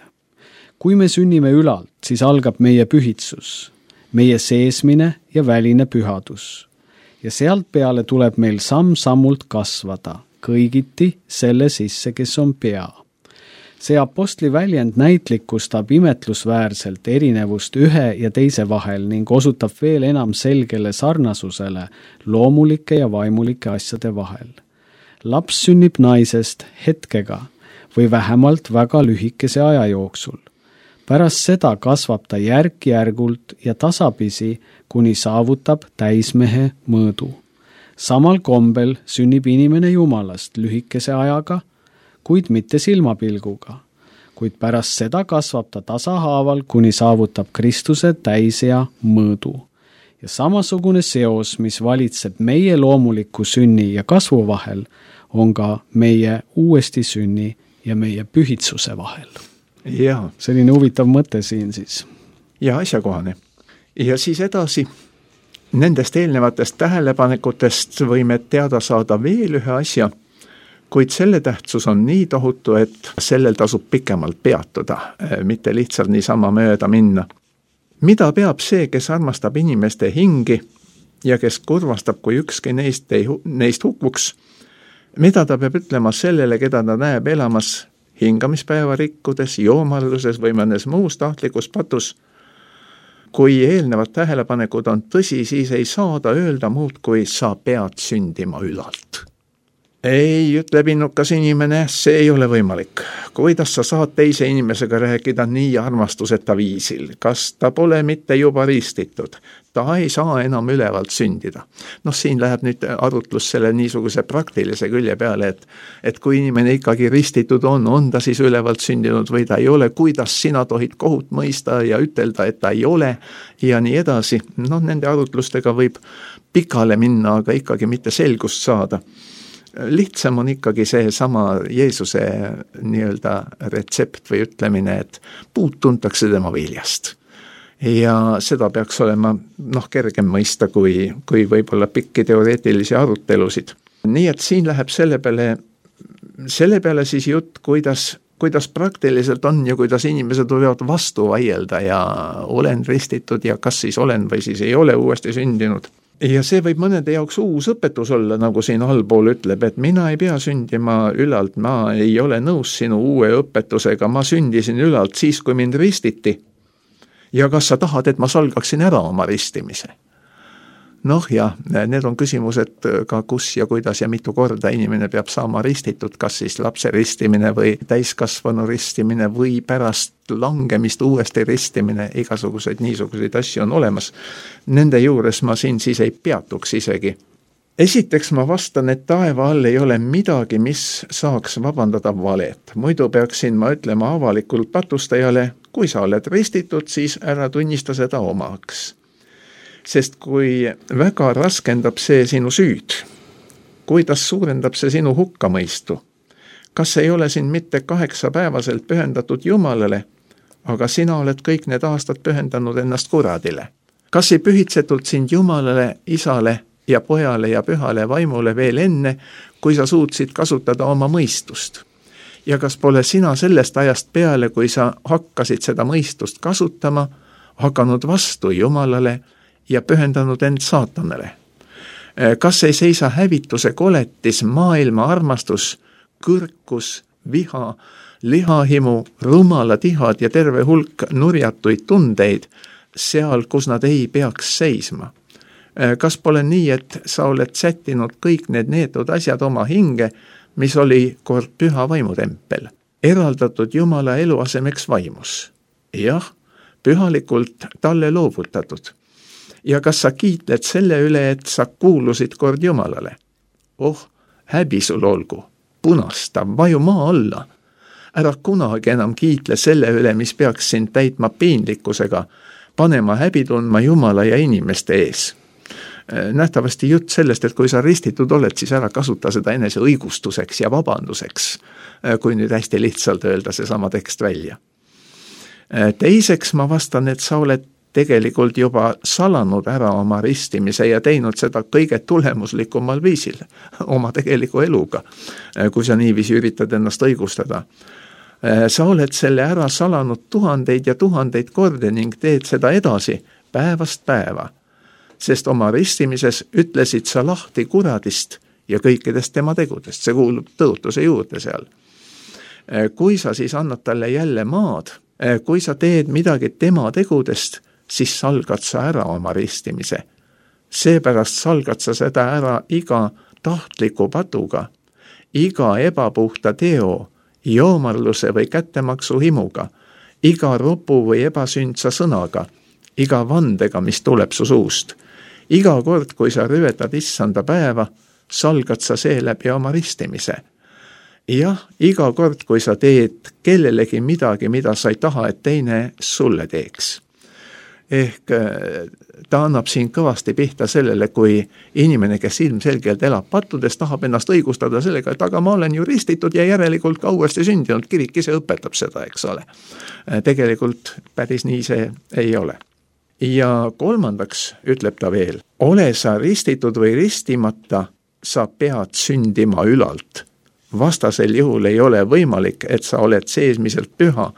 Kui me sünnime ülalt, siis algab meie pühitsus, meie seesmine ja väline pühadus. Ja sealt peale tuleb meil samm-sammult kasvada, kõigiti selle sisse, kes on pea. See apostli väljend näitlikustab imetlusväärselt erinevust ühe ja teise vahel ning osutab veel enam selgele sarnasusele loomulike ja vaimulike asjade vahel. Laps sünnib naisest hetkega või vähemalt väga lühikese aja jooksul. Pärast seda kasvab ta järk-järgult ja tasapisi, kuni saavutab täismehe mõõdu. Samal kombel sünnib inimene Jumalast lühikese ajaga, kuid mitte silmapilguga. Kuid pärast seda kasvab ta tasahaaval, kuni saavutab Kristuse täisea mõõdu. Ja samasugune seos, mis valitseb meie loomuliku sünni ja kasvu vahel, on ka meie uuesti sünni ja meie pühitsuse vahel. Ja. Selline huvitav mõte siin siis. Ja asjakohane. Ja siis edasi, nendest eelnevatest tähelepanekutest võime teada saada veel ühe asja, kuid selle tähtsus on nii tohutu, et sellel tasub pikemalt peatuda, mitte lihtsalt niisama mööda minna. Mida peab see, kes armastab inimeste hingi ja kes kurvastab, kui ükski neist, ei, neist hukkuks, mida ta peab ütlema sellele, keda ta näeb elamas hingamispäeva rikkudes, joomarluses või mõnes muus tahtlikus patus? Kui eelnevad tähelepanekud on tõsi, siis ei saa ta öelda muud, kui sa pead sündima ülalt. Ei, ütleb innukas inimene, see ei ole võimalik. Kuidas sa saad teise inimesega rääkida nii armastuseta viisil? Kas ta pole mitte juba ristitud? Ta ei saa enam ülevalt sündida. Noh, siin läheb nüüd arutlus selle niisuguse praktilise külje peale, et, et kui inimene ikkagi ristitud on, on ta siis ülevalt sündinud või ta ei ole, kuidas sina tohid kohut mõista ja ütelda, et ta ei ole ja nii edasi. Noh, nende arutlustega võib pikale minna, aga ikkagi mitte selgust saada. Lihtsam on ikkagi see sama Jeesuse nii-öelda retsept või ütlemine, et puud tuntakse tema viljast. Ja seda peaks olema noh, kergem mõista kui, kui võib-olla pikki teoreetilisi arutelusid. Nii et siin läheb selle peale, selle peale siis jutt, kuidas, kuidas praktiliselt on ja kuidas inimesed võivad vastu vaielda ja olen ristitud ja kas siis olen või siis ei ole uuesti sündinud. Ja see võib mõnede jaoks uus õpetus olla, nagu siin allpool ütleb, et mina ei pea sündima ülalt, ma ei ole nõus sinu uue õpetusega, ma sündisin ülalt siis, kui mind ristiti. Ja kas sa tahad, et ma salgaksin ära oma ristimise? Noh jah, need on küsimused ka kus ja kuidas ja mitu korda inimene peab saama ristitud, kas siis lapse ristimine või täiskasvanu ristimine või pärast langemist uuesti ristimine, igasuguseid niisuguseid asju on olemas. Nende juures ma siin siis ei peatuks isegi. esiteks ma vastan, et taeva all ei ole midagi, mis saaks vabandada valet. Muidu peaksin ma ütlema avalikult patustajale, kui sa oled ristitud, siis ära tunnista seda omaks. Sest kui väga raskendab see sinu süüd, kuidas suurendab see sinu hukkamõistu, kas ei ole siin mitte kaheksapäevaselt pühendatud Jumalale, aga sina oled kõik need aastad pühendanud ennast kuradile. Kas ei pühitsetud sind Jumalale, Isale ja Pojale ja Pühale Vaimule veel enne, kui sa suutsid kasutada oma mõistust? Ja kas pole sina sellest ajast peale, kui sa hakkasid seda mõistust kasutama, hakanud vastu Jumalale ja pühendanud end saatanale? Kas ei seisa hävituse koletis maailma armastus, kõrkus, viha, lihahimu, rumalad ihad ja terve hulk nurjatuid tundeid seal, kus nad ei peaks seisma? Kas pole nii, et sa oled sättinud kõik need neetud asjad oma hinge, mis oli kord püha vaimutempel, eraldatud Jumala eluasemeks vaimus? Jah, pühalikult talle loovutatud. Ja kas sa kiitled selle üle, et sa kuulusid kord Jumalale? Oh, häbi sul olgu, punasta, vaju maa alla. Ära kunagi enam kiitle selle üle, mis peaks sind täitma piinlikkusega, panema häbi tundma Jumala ja inimeste ees. Nähtavasti jutt sellest, et kui sa ristitud oled, siis ära kasuta seda enese õigustuseks ja vabanduseks, kui nüüd hästi lihtsalt öelda see sama tekst välja. Teiseks ma vastan, et sa oled tegelikult juba salanud ära oma ristimise ja teinud seda kõige tulemuslikumal viisil, oma tegeliku eluga, kui sa niiviisi üritad ennast õigustada. Sa oled selle ära salanud tuhandeid ja tuhandeid korde ning teed seda edasi päevast päeva, sest oma ristimises ütlesid sa lahti kuradist ja kõikidest tema tegudest, see kuulub tõotuse juurde seal. Kui sa siis annad talle jälle maad, kui sa teed midagi tema tegudest, siis salgad sa ära oma ristimise. Seepärast salgad sa seda ära iga tahtliku patuga, iga ebapuhta teo, joomarluse või kättemaksu himuga, iga ropu või ebasündsa sõnaga, iga vandega, mis tuleb su suust. Iga kord, kui sa rüvetad issanda päeva, salgad sa seeläbi oma ristimise. Jah, iga kord, kui sa teed kellelegi midagi, mida sa ei taha, et teine sulle teeks. Ehk ta annab siin kõvasti pihta sellele, kui inimene, kes ilmselgelt elab pattudes, tahab ennast õigustada sellega, et aga ma olen ju ristitud ja järelikult ka uuesti sündinud, kirik ise õpetab seda, eks ole. Tegelikult päris nii see ei ole. Ja kolmandaks ütleb ta veel, ole sa ristitud või ristimata, sa pead sündima ülalt. Vastasel juhul ei ole võimalik, et sa oled seesmiselt püha,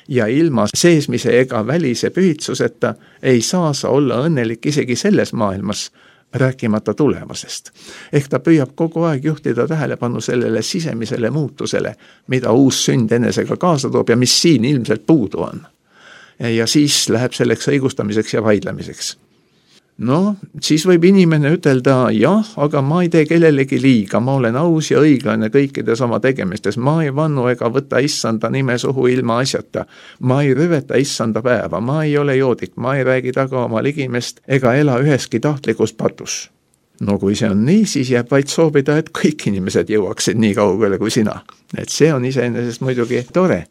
ja ilma seesmise ega välise pühitsuseta ei saa sa olla õnnelik isegi selles maailmas, rääkimata tulevasest. Ehk ta püüab kogu aeg juhtida tähelepanu sellele sisemisele muutusele, mida uus sünd enesega kaasa toob ja mis siin ilmselt puudu on. Ja siis läheb selleks õigustamiseks ja vaidlemiseks. No, siis võib inimene ütelda, jah, aga ma ei tee kellelegi liiga, ma olen aus ja õiglane kõikides oma tegemistes, ma ei vannu ega võta issanda nime suhu ilma asjata, ma ei rüveta issanda päeva, ma ei ole joodik, ma ei räägi taga oma ligimest ega ela üheski tahtlikus patus. No kui see on nii, siis jääb vaid soovida, et kõik inimesed jõuaksid nii kaugele kui sina. Et see on iseenesest muidugi tore.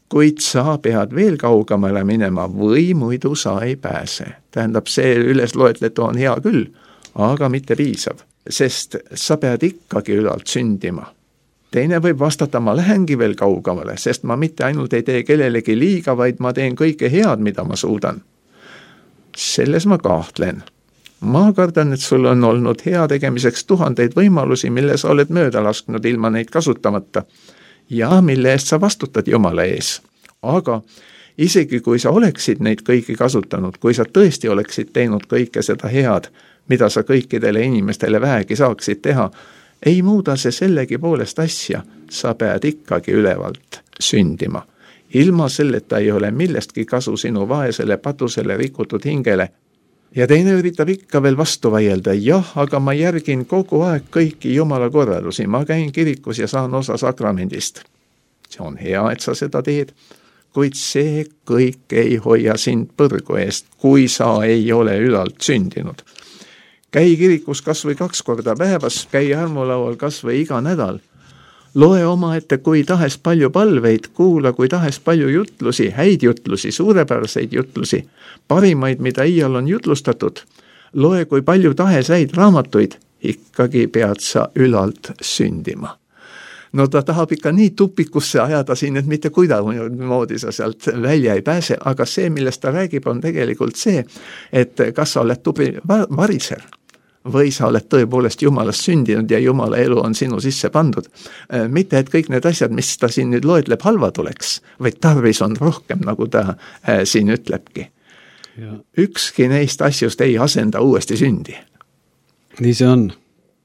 Kuid sa pead veel kaugemale minema või muidu sa ei pääse. Tähendab, see ülesloetletu on hea küll, aga mitte piisav, sest sa pead ikkagi ülalt sündima. Teine võib vastata, ma lähengi veel kaugemale, sest ma mitte ainult ei tee kellelegi liiga, vaid ma teen kõike head, mida ma suudan. Selles ma kahtlen. Ma kardan, et sul on olnud hea tegemiseks tuhandeid võimalusi, mille sa oled mööda lasknud ilma neid kasutamata. Ja mille eest sa vastutad Jumala ees. Aga isegi kui sa oleksid neid kõiki kasutanud, kui sa tõesti oleksid teinud kõike seda head, mida sa kõikidele inimestele vähegi saaksid teha, ei muuda see sellegi poolest asja, sa pead ikkagi ülevalt sündima. Ilma selleta ei ole millestki kasu sinu vaesele patusele rikutud hingele. Ja teine üritab ikka veel vastu vaielda, jah, aga ma järgin kogu aeg kõiki Jumala korralusi, ma käin kirikus ja saan osa sakramendist. See on hea, et sa seda teed, kuid see kõik ei hoia sind põrgu eest, kui sa ei ole ülalt sündinud. käi kirikus kas või kaks korda päevas, käi armulaual kas või iga nädal. Loe omaette kui tahes palju palveid, kuula kui tahes palju jutlusi, häid jutlusi, suurepäraseid jutlusi, parimaid, mida iial on jutlustatud. Loe kui palju tahes häid raamatuid, ikkagi pead sa ülalt sündima. No ta tahab ikka nii tupikusse ajada siin, et mitte kuidagimoodi sa sealt välja ei pääse, aga see, millest ta räägib, on tegelikult see, et kas sa oled tubli variser või sa oled tõepoolest Jumalast sündinud ja Jumala elu on sinu sisse pandud. Mitte, et kõik need asjad, mis ta siin nüüd loetleb, halvad oleks, vaid tarvis on rohkem, nagu ta siin ütlebki. Ja. Ükski neist asjust ei asenda uuesti sündi. Nii see on.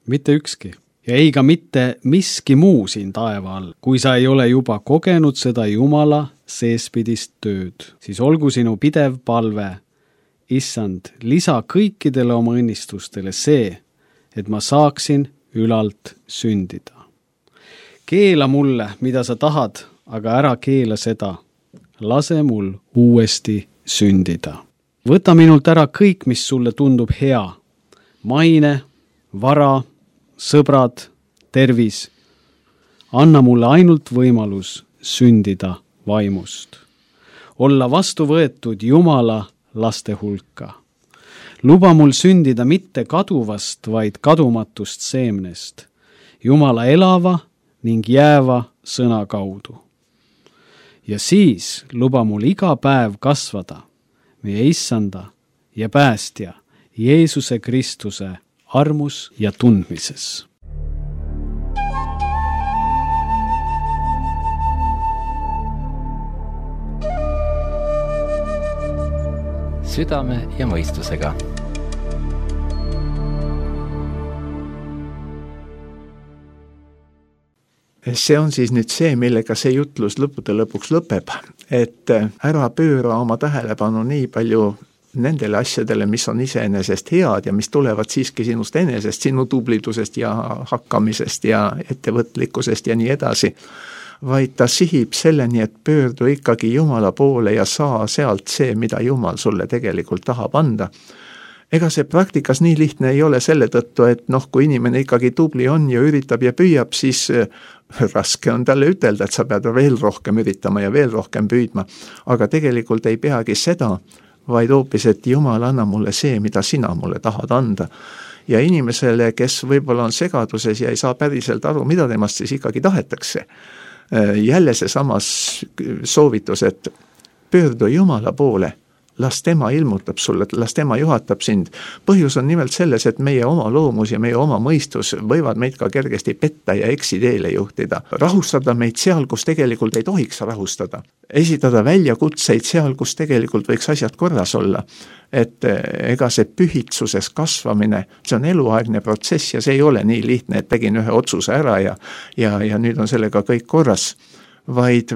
Mitte ükski. Ja ei ka mitte miski muu siin taeva all, kui sa ei ole juba kogenud seda Jumala seespidist tööd, siis olgu sinu pidev palve, Issand, lisa kõikidele oma õnnistustele see, et ma saaksin ülalt sündida. Keela mulle, mida sa tahad, aga ära keela seda. Lase mul uuesti sündida. Võta minult ära kõik, mis sulle tundub hea. Maine, vara, sõbrad, tervis. Anna mulle ainult võimalus sündida vaimust. Olla vastu võetud Jumala laste hulka. Luba mul sündida mitte kaduvast, vaid kadumatust seemnest. Jumala elava ning jääva sõna kaudu. Ja siis luba mul iga päev kasvada meie Issanda ja päästja Jeesuse Kristuse armus ja tundmises. Südame ja mõistusega. See on siis nüüd see, millega see jutlus lõppude lõpuks lõpeb, et ära pööra oma tähelepanu nii palju nendele asjadele, mis on iseenesest head ja mis tulevad siiski sinust enesest, sinu tublidusest ja hakkamisest ja ettevõtlikkusest ja nii edasi, vaid ta sihib selleni, et pöördu ikkagi Jumala poole ja saa sealt see, mida Jumal sulle tegelikult tahab anda. Ega see praktikas nii lihtne ei ole selle tõttu, et noh, kui inimene ikkagi tubli on ja üritab ja püüab, siis raske on talle ütelda, et sa pead veel rohkem üritama ja veel rohkem püüdma. Aga tegelikult ei peagi seda, vaid hoopis, et Jumal anna mulle see, mida sina mulle tahad anda. Ja inimesele, kes võib-olla on segaduses ja ei saa päriselt aru, mida temast siis ikkagi tahetakse, jälle see samas soovitus, et pöördu Jumala poole, las tema ilmutab sulle, las tema juhatab sind. Põhjus on nimelt selles, et meie oma loomus ja meie oma mõistus võivad meid ka kergesti petta ja eksiteele juhtida. Rahustada meid seal, kus tegelikult ei tohiks rahustada. Esitada väljakutseid seal, kus tegelikult võiks asjad korras olla. Et ega see pühitsuses kasvamine, see on eluaegne protsess ja see ei ole nii lihtne, et tegin ühe otsuse ära ja, ja, ja nüüd on sellega kõik korras, vaid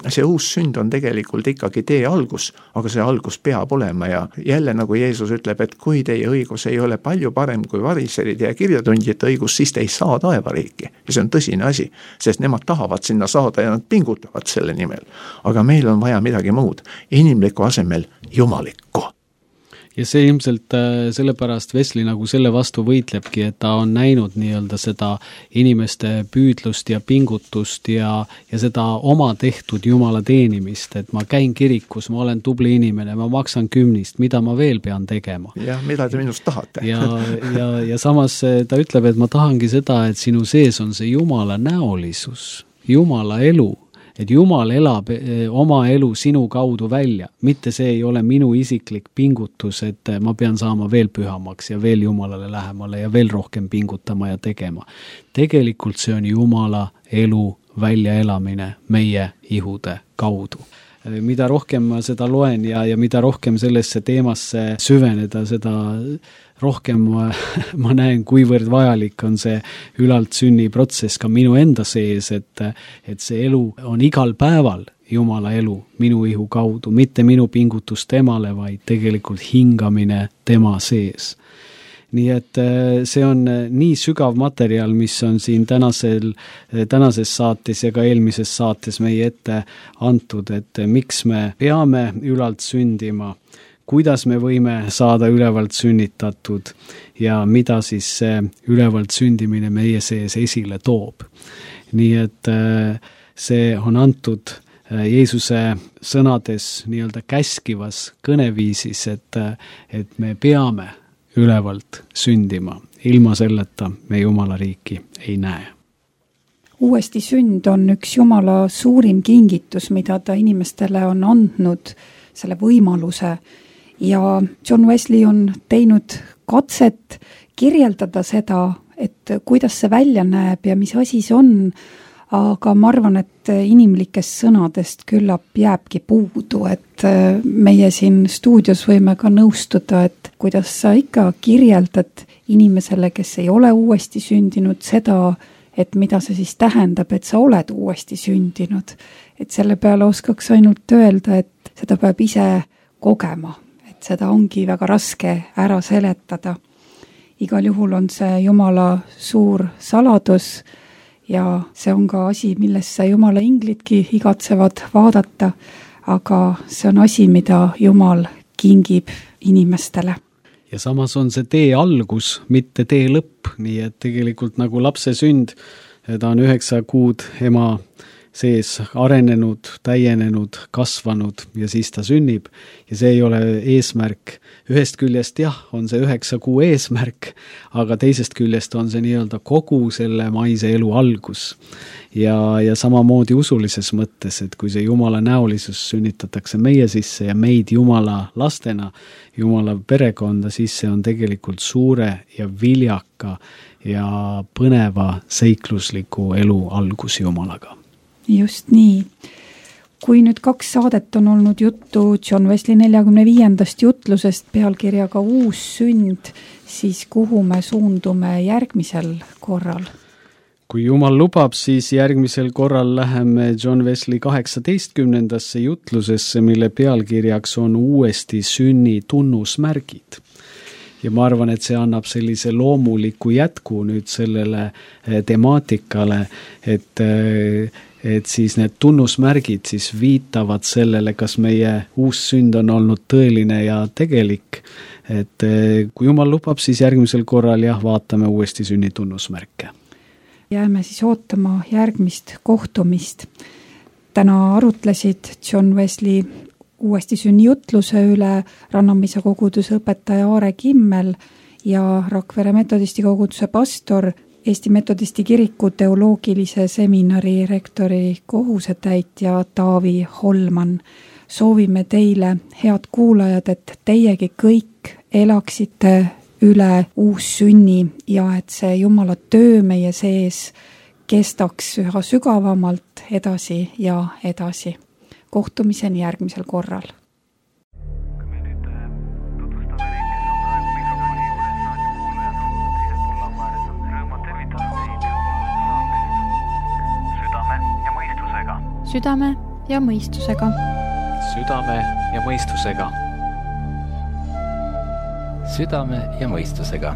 see uus sünd on tegelikult ikkagi tee algus, aga see algus peab olema ja jälle nagu Jeesus ütleb, et kui teie õigus ei ole palju parem kui variserid ja kirjatundjate õigus, siis te ei saa taevariiki. Ja see on tõsine asi, sest nemad tahavad sinna saada ja nad pingutavad selle nimel. Aga meil on vaja midagi muud, inimliku asemel jumalikku. Ja see ilmselt sellepärast Wesley nagu selle vastu võitlebki, et ta on näinud nii-öelda seda inimeste püüdlust ja pingutust ja, ja seda oma tehtud Jumala teenimist, et ma käin kirikus, ma olen tubli inimene, ma maksan kümnist, mida ma veel pean tegema. Ja mida te minust tahate? ja, ja, ja samas ta ütleb, et ma tahangi seda, et sinu sees on see Jumala näolisus, Jumala elu, et Jumal elab oma elu sinu kaudu välja, mitte see ei ole minu isiklik pingutus, et ma pean saama veel pühamaks ja veel Jumalale lähemale ja veel rohkem pingutama ja tegema. Tegelikult see on Jumala elu väljaelamine meie ihude kaudu. Mida rohkem ma seda loen ja, ja mida rohkem sellesse teemasse süveneda, seda rohkem ma, ma näen, kuivõrd vajalik on see ülalt sünni protsess ka minu enda sees, et, et see elu on igal päeval Jumala elu minu ihu kaudu, mitte minu pingutus temale, vaid tegelikult hingamine tema sees. Nii et see on nii sügav materjal, mis on siin tänasel, tänases saates ja ka eelmises saates meie ette antud, et miks me peame ülalt sündima, kuidas me võime saada ülevalt sünnitatud ja mida siis see ülevalt sündimine meie sees esile toob. Nii et see on antud Jeesuse sõnades nii-öelda käskivas kõneviisis, et, et me peame ülevalt sündima. Ilma selleta me Jumala riiki ei näe. Uuesti sünd on üks Jumala suurim kingitus, mida ta inimestele on andnud selle võimaluse. Ja John Wesley on teinud katset kirjeldada seda, et kuidas see välja näeb ja mis asi see on, aga ma arvan, et inimlikest sõnadest küllap jääbki puudu, et meie siin stuudios võime ka nõustuda, et kuidas sa ikka kirjeldad inimesele, kes ei ole uuesti sündinud, seda, et mida see siis tähendab, et sa oled uuesti sündinud. Et selle peale oskaks ainult öelda, et seda peab ise kogema, et seda ongi väga raske ära seletada. Igal juhul on see Jumala suur saladus ja see on ka asi, millesse Jumala inglidki igatsevad vaadata, aga see on asi, mida Jumal kingib inimestele. Ja samas on see tee algus, mitte tee lõpp, nii et tegelikult nagu lapse sünd, ta on üheksa kuud ema sees arenenud, täienenud, kasvanud ja siis ta sünnib. Ja see ei ole eesmärk. Ühest küljest jah, on see üheksa kuu eesmärk, aga teisest küljest on see nii-öelda kogu selle maise elu algus. Ja, ja samamoodi usulises mõttes, et kui see Jumala näolisus sünnitatakse meie sisse ja meid Jumala lastena, Jumala perekonda, siis see on tegelikult suure ja viljaka ja põneva seiklusliku elu algus Jumalaga. Just nii. Kui nüüd kaks saadet on olnud juttu John Wesley neljakümne viiendast jutlusest pealkirjaga Uus sünd, siis kuhu me suundume järgmisel korral? Kui Jumal lubab, siis järgmisel korral läheme John Wesley kaheksateistkümnendasse jutlusesse, mille pealkirjaks on uuesti sünni tunnusmärgid. Ja ma arvan, et see annab sellise loomuliku jätku nüüd sellele temaatikale, et, et siis need tunnusmärgid siis viitavad sellele, kas meie uus sünd on olnud tõeline ja tegelik. Et kui Jumal lubab, siis järgmisel korral jah, vaatame uuesti sünni tunnusmärke. Jääme siis ootama järgmist kohtumist. Täna arutlesid John Wesley uuesti sünni jutluse üle Rannamäise koguduse õpetaja Aare Kimmel ja Rakvere metodisti koguduse pastor, Eesti metodisti kiriku teoloogilise seminari rektori kohusetäitja Taavi Holman. Soovime teile, head kuulajad, et teiegi kõik elaksite üle uus sünni ja et see Jumala töö meie sees kestaks üha sügavamalt edasi ja edasi. Kohtumiseni järgmisel korral. Me nüüd tutvustame neid, kes on praegu mikrofoni juures, raadiokuulajad on teisel pool lauääres, on rõõmad tervitada teid saatest Südame ja mõistusega. Südame ja mõistusega. Südame ja mõistusega. Südame ja mõistusega.